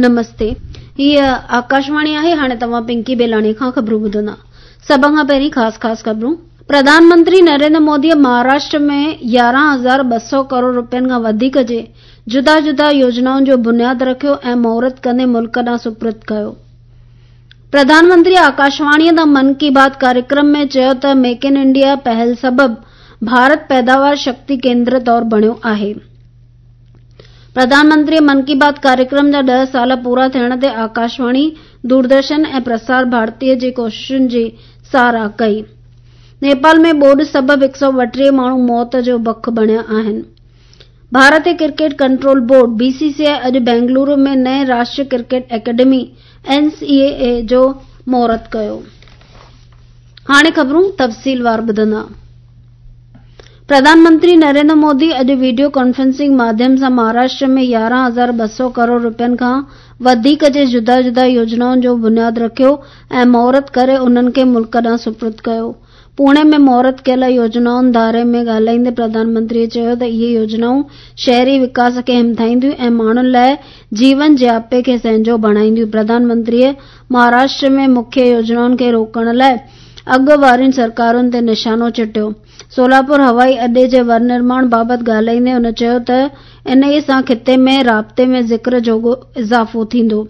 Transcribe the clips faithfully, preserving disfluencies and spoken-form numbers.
نمستي، هيء آڪاشواڻي آهي. هاڻي توهان پنڪي بيلاڻي کان خبرون ٻڌندا. سڀ کان پهرين خاص خاص خبرون. پرڌان منتري نريندر موديء مهاراشٽر ۾ يارهن هزار ٻه سؤ ڪروڙ رپين کان وڌيڪ جي جدا جدا يوجنائن جو بنياد رکيو ۽ مهورت ڪندي ملڪ ڏانهن سپرد ڪيو. پرڌان منتري آڪاشواڻيء تان من ڪي بات ڪاريڪرم ۾ چيو ته ميڪ ان انڊيا پهل سبب ڀارت پيداوار شڪتي ڪيندر طور بڻيو آهي. پرڌان منتريء من ڪي بات ڪاريڪرم جا ڏهه سال پورا ٿيڻ تي آڪاشواڻي، دوردرشن ۽ پرسار ڀارتيء جي ڪوششن جي ساراهه ڪئي. نيپال ۾ ٻوڏ سبب هڪ سؤ ٻٽيهه ماڻهو موت جو بک بڻيا آهن. ڀارتي cricket control board, B C C I, اڄ بينگلورو ۾ نئين Rashtriya cricket academy, N C اي اي، جو مهورت ڪيو. هاڻي خبرون تفصيلوار ٻڌندا. پرڌان منتري نريندر مودي اڄ وڊيو ڪانفرنسنگ ماڌيم سان مهاراشٽر ۾ يارهن هزار ٻه سؤ ڪروڙ رپين کان وڌيڪ جي جدا جدا يوجنائن جو بنياد رکيو ۽ مهورت ڪري انهن کي ملڪ ڏانهن سپرد ڪيو. پوڻي ۾ مهورت ڪيل يوجنائن ڌاري ۾ ڳالهائيندي پرڌان منتري چيو ته اهي يوجنائون شهري وڪاس کي همٿائينديون ۽ ماڻهن لاء جيون جياپي کي سهنجو بڻائينديون. پرڌان منتريء مهاراشٽر ۾ مکيه يوجنائن کي روڪڻ لاء اڳ وارين سرڪارن تي نشانو چٽيو. سولاپور هوائي اڏي جي ورنرماڻ بابت ڳالهائيندي هن چيو ته انهيء سان خطي ۾ رابطي ۾ ذڪر جوڳو اضافو ٿيندو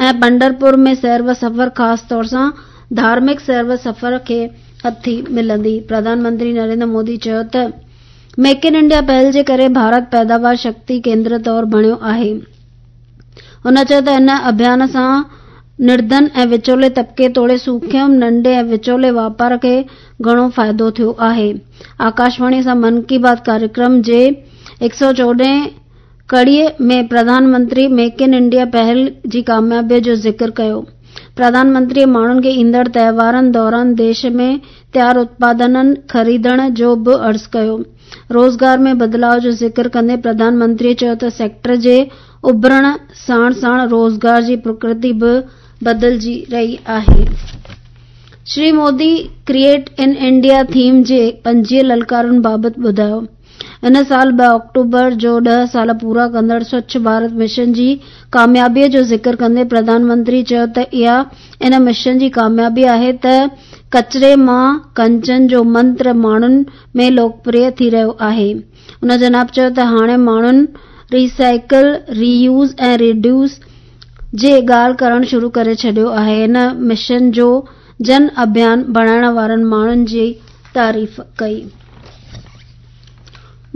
۽ پنڍرپور ۾ سير و سفر خاص طور سان ڌارمڪ سير و سفر کي هٿي ملندي. پرڌان منتري نريندر مودي چيو ته ميڪ ان انڊيا پهل جي ڪري ڀارت پيداوار شڪتي ڪيندر طور بڻيو آهي. هن چيو ته ان اڀيان سان نرڌن ۽ وچولي طبقي توڙي سوکيم، ننڍي ۽ وچولي واپار کي گهڻو فائدو ٿيو آهي. آڪاشواڻي سان من ڪي بات ڪاريڪرم جي هڪ سؤ چوڏهن ڪڙيء ۾ Pradhan Mantri make in India پهل جي ڪاميابيء جو ذڪر ڪيو. پرڌان منتريء ماڻهن کي ايندڙ تهوارن دوران ديش ۾ تيار اتپادنن خريدڻ جو به عرض ڪيو. روزگار ۾ بدلاء جو ذڪر ڪندي پرڌان منتريء چيو ته سيڪٽر جي اڀرڻ ساڻ ساڻ روزگار جي پرڪرتي به بدلجي رهي آهي. Shri Modi create in India theme جي پنجويهه للڪارن بابت ٻڌايو. هن سال ٻه آڪٽوبر جو ڏهه سال پورا ڪندڙ سوڇ ڀارت مشن جي ڪاميابيء جو ذڪر ڪندي پرڌان منتري چيو ته اها ان مشن جي ڪاميابي آهي ته ڪچري مان ڪنچن جو منتر ماڻهن ۾ لوڪپريه ٿي رهيو آهي. هن جناب چيو ته هاڻي ماڻهن ري سائيڪل، ري يوز ۽ ريڊيوس جي ڳالهه ڪرڻ شروع ڪري ڇڏيو آهي. هن مشن جو جن اڀيان بڻائڻ وارن ماڻهن جي تعريف ڪئي.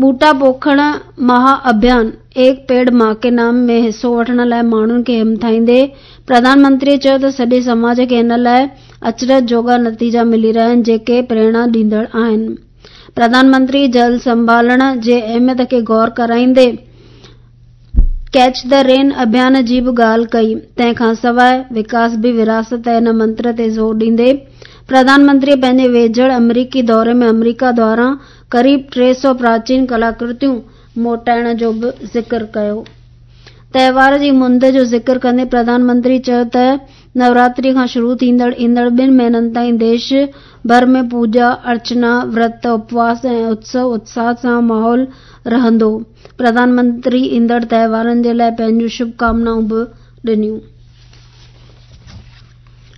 ٻوٽا پوکڻ مها اڀيان ايڪ پيڙ مان ڪي نام ۾ حصو وٺڻ لاء ماڻهن کي همٿائيندي پرڌان منتري چيو ته سڄي سماج کي ان لاء اچرج جوڳا نتيجا ملي رهيا آهن جيڪي پريرڻا ڏيندڙ آهن. پرڌان منتري جل سنڀالڻ جي اهميت کي غور ڪرائيندي ڪيچ the رين اڀيان جي به ڳالهه ڪئي. تنهن کان سواء وڪاس به وراثت ان منتر تي زور ڏيندي پرڌان منتري پنهنجي ويجهڙ آمريڪي دوري ۾ آمريڪا دواران قريب ٽي سؤ پراچين ڪلاڪرتيون موٽائڻ جو به ذڪر ڪيو. تهوار جي مند جو ذڪر ڪندي پرڌان منتري چيو ته نوراتري کان شروع ٿيندڙ ايندڙ ٻن مهينن تائين ديش ڀر ۾ پوڄا، ارچنا، ورت، اپواس ۽ اتسو اتساهه سان ماحول رهندو. پرڌان منتري ايندڙ تهوارن جي لاء پنهنجون شڀ ڪامنائون به ڏنيون.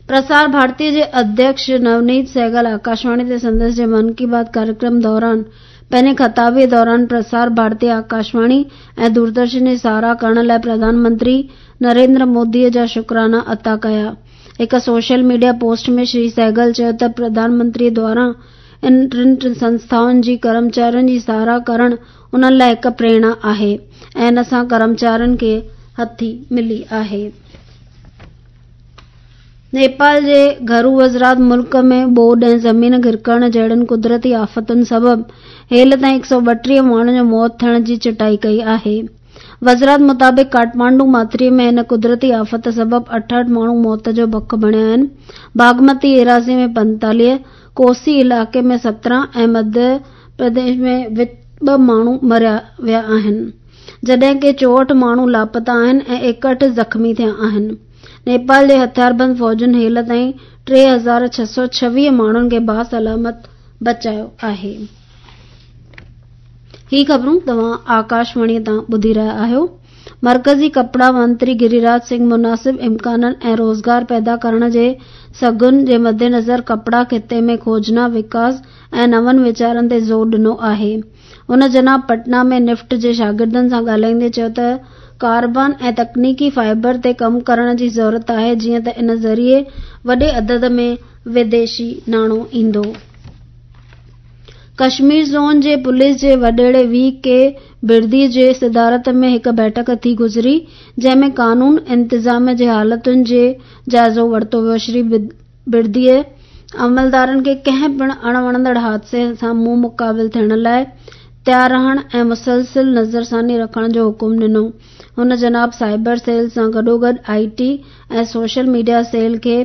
پرسار ڀارتي جي اڌيڪش نونيت سهگل آڪاشواڻي تي سندس جي من ڪي بات ڪاريڪرم دوران پنهنجي خطابي دوران پرسار ڀارتي، آڪاشواڻي ۽ دوردرشن جي ساراهه ڪرڻ لاء پرڌان منتري نريندر مودي جا شڪرانا عطا ڪيا. هڪ social media post ۾ Shri Sehgal چيو ته پرڌان منتري دواران ان ٽن سنسٿائن جي ڪرمچارين جي ساراهه ڪرڻ انهن لاء هڪ پريرڻا آهي ۽ ان سان ڪرمچارين کي هٿي ملي آهي. نيپال جي گهرو وزارت ملڪ ۾ ٻوڏ ۽ زمين گرڪڻ جهڙين قدرتي آفتن سبب هيل تائين هڪ سؤ ٻٽيهه ماڻهن جو موت ٿيڻ جي چٽائي ڪئي آهي. وزارت مطابق ڪاٺمانڊو ماٿري ۾ هن قدرتي آفت سبب اٺهٺ ماڻهو موت جو بک بڻيا آهن. باگمتي ايراضي ۾ پنتاليهه، ڪوسي علائقي ۾ سترهن ۽ مڌيه پرديش ۾ ٻه ماڻهو مريا ويا آهن. جڏهن ڪي چوهٺ ماڻهو لاپتا آهن ۽ ايڪهٺ زخمي ٿيا آهن. نيپال جي هٿياربند فوجن هيل تائين ٽي هزار ڇهه سؤ ڇويهه ماڻهن کي باسلامت بچايو آهي. هي خبرون توهان آڪاشواڻي تان ٻڌي رهيا آهيو. مرڪزي ڪپڙا منتري گريراج سنگهه مناسب امڪانن ۽ روزگار پيدا ڪرڻ جي سگهن جي مدنظر ڪپڙا خطي ۾ کوجنا، وڪاس ۽ نون ويچارن تي زور ڏنو آهي. هن جناب پٽنا ۾ نفٽ جي شاگردن سان ڳالهائيندي چيو ته ڪاربان ۽ تڪنيڪي فائبر تي ڪم ڪرڻ جي ضرورت آهي جيئن ته ان ذريعي وڏي عدد ۾ وديشي ناڻو ايندو. ڪشمير زون جي پوليس جي وڏيري وي ڪي بردي جي صدارت ۾ هڪ بيٺڪ ٿي گذري، جنهن ۾ قانون انتظام جي حالتن جي جائزو ورتو ويو. شري برديء عملدارن کي ڪنهن پڻ اڻوڻندڙ حادثي سان منهن مقابل ٿيڻ لاء تيار رهڻ ۽ مسلسل نظرثاني رکڻ جو حڪم ڏنو. هن جناب سائبر سيل سان گڏوگڏ I T ۽ social media cell کي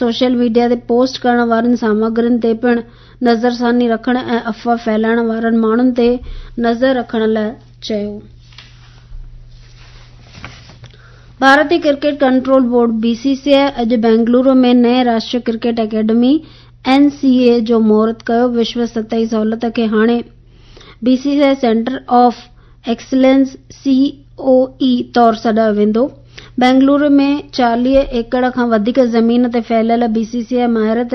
سوشل ميڊيا تي پوسٽ ڪرڻ وارين سامگرين تي پڻ نظرثاني رکڻ ۽ افواهه ڦهلائڻ وارن ماڻهن تي نظر رکڻ لاء چيو. ڀارتي cricket control board B C C I اڄ بينگلورو ۾ نئين Rashtriya cricket academy N C اي جو مهورت ڪيو. وشو سطحي سهولت کي هاڻي B C C I centre of excellence C O E طور سڏايو ويندو. بينگلورو ۾ چاليهه ايڪڙ کان وڌيڪ زمين تي ڦهليل بي سي سي آء مهارت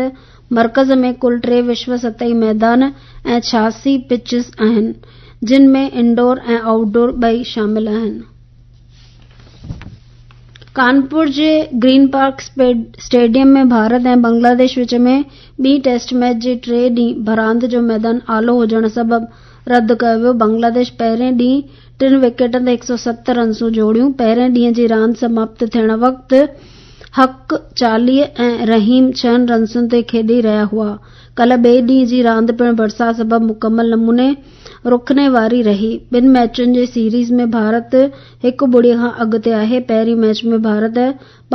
مرڪز ۾ ڪل ٽي وشو سطحي ميدان ۽ ڇهاسي پچز آهن، جن ۾ انڊور ۽ آئوٽ ڊور ٻئي شامل آهن. ڪانپور جي Green Park stadium ۾ Bharat ۽ Bangladesh وچ ۾ ٻي ٽيسٽ ميچ جي ٽئين ڏينهن به راند جو ميدان آلو هجڻ سبب رد ڪيو ويو. بنگلاديش پهرين ڏينهن ٽن وڪيٽن تي هڪ سؤ ست رنسون جوڙيون. پهرين ڏينهن جي راند سماپت ٿيڻ وقت حق چاليهه ۽ رحيم ڇهن رنسن تي کيڏي رهيا هئا. ڪالهه ٻئي ڏينهن جي راند پڻ برسات سبب مڪمل نموني رڪڻ واري رهي. ٻن ميچن جي سيريز ۾ ڀارت هڪ ٻڙي کان اڳتي آهي. پهرين ميچ ۾ ڀارت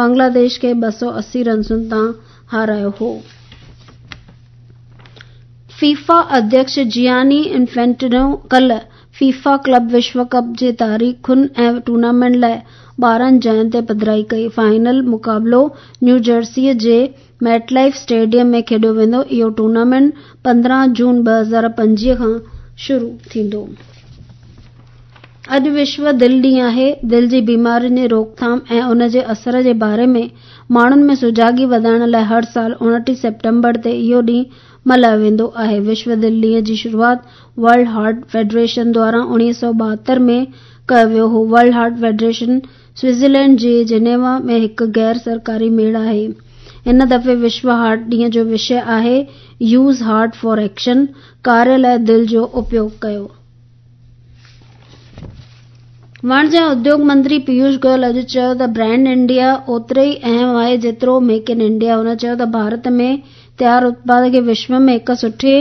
بنگلاديش کي ٻه سؤ اسي رنسن تان هارايو هو. فيفا اڌيڪش جياني انفينٽينو ڪالهه فيفا ڪلب وشو ڪپ جي تاريخن ۽ ٽورنامينٽ لاء ٻارهن جاين تي پڌرائي ڪئي. فائنل مقابلو نيو جرسي جي ميٽ لائف اسٽيڊيم ۾ کيڏيو ويندو. اهو ٽورنامينٽ پندرهن جون ٻه هزار پنجويهه کان شروع ٿيندو. اڄ وشو دل ڏينهن آهي. دل جي بيمارين جي روڪٿام ۽ ان جي اثر جي باري ۾ ماڻهن ۾ سجاڳي وڌائڻ لاء هر سال اڻٽيهه سيپٽمبر تي اهو ڏينهن ملهايو ويندو آهي. وشو دل ڏينهن جي شروعات ورلڊ هارٽ فيڊريشن دواران اڻويهه سؤ ٻاهتر ۾ ڪيو ويو هو. ورلڊ هارٽ فيڊريشن سوئٽزرلينڊ جي جنيوا ۾ هڪ غير سرڪاري ميڙ آهي. هن دفعي وشو هارٽ ڏينهن جو وشي آهي يوز هارٽ فار ايڪشن، ڪاريه لاءِ دل جو اپيوگ ڪيو. واڻج ۽ اديوگ منتري پيوش گويل اڄ چيو ته برانڊ انڊيا اوترو ئي اهم آهي جيترو ميڪ ان انڊيا. هن چيو ته ڀارت ۾ تيار اتپاد کي وشو ۾ هڪ سٺي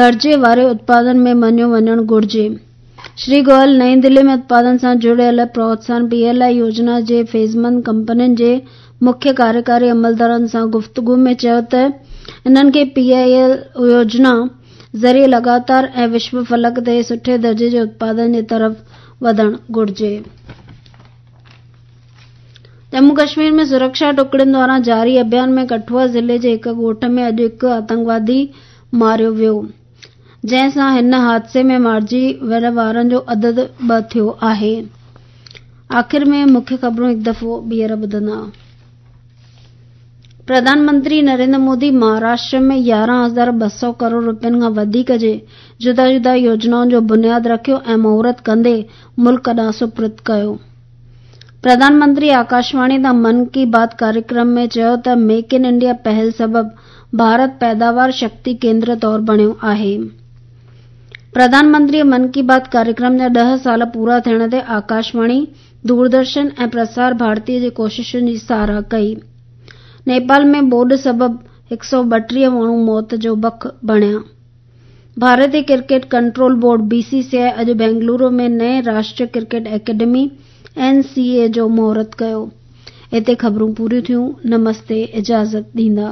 درجي واري اتپادن ۾ مڃيو وڃڻ گهرجي. شري گويل نئين دلي ۾ اتپادن سان جڙيل پروتساهن پي ايل I يوجنا جي فيضمند ڪمپنين جي مکيه ڪاريڪاري عملدارن سان گفتگو ۾ چيو ته انهن کي پي I L يوجنا ذريعي لڳاتار ۽ وشو فلڪ تي سٺي درجي جي اتپادن جي طرف وڌڻ گهرجي. ڄمون ڪشمير ۾ سرڪشا ٽڪڙين دواران جاري اڀيان ۾ ڪٺوا ضلعي جي هڪ ڳوٺ ۾ اڄ هڪ آتنڪوادي ماريو ويو، جنهن سان هن حادثي ۾ مارجي ويل وارن جو عدد ٻه ٿيو آهي. آخر ۾ مکيه خبرون هڪ دفعو ٻيهر ٻڌندا. پرڌان منتري نريندر مودي مهاراشٽر ۾ يارهن هزار ٻه سؤ ڪروڙ رپين کان وڌيڪ جي جدا جدا يوجنائن جو بنياد رکيو ۽ مهورت ڪندي ملڪ ڏانهن سپرد ڪيو. پرڌان منتري آڪاشواڻي تان من ڪي بات ڪاريڪرم ۾ چيو ته ميڪ ان انڊيا پهل سبب ڀارت پيداوار شڪتي ڪيندر طور بڻيو آهي. پرڌان منتري من ڪي بات ڪاريڪرم جا ڏهه سال پورا ٿيڻ تي آڪاشواڻي، دوردرشن ۽ پرسار ڀارتي جي ڪوششن جي ساراهه ڪئي. نيپال ۾ ٻوڏ سبب هڪ سؤ ٻٽيهه ماڻهو موت جو بک بڻيا. ڀارتي cricket control board B C C I اڄ بينگلورو ۾ نئين Rashtriya cricket academy N C اي جو مهورت ڪيو. هتي خبرون پوريون ٿيون. نمستي، اجازت ڏيندا.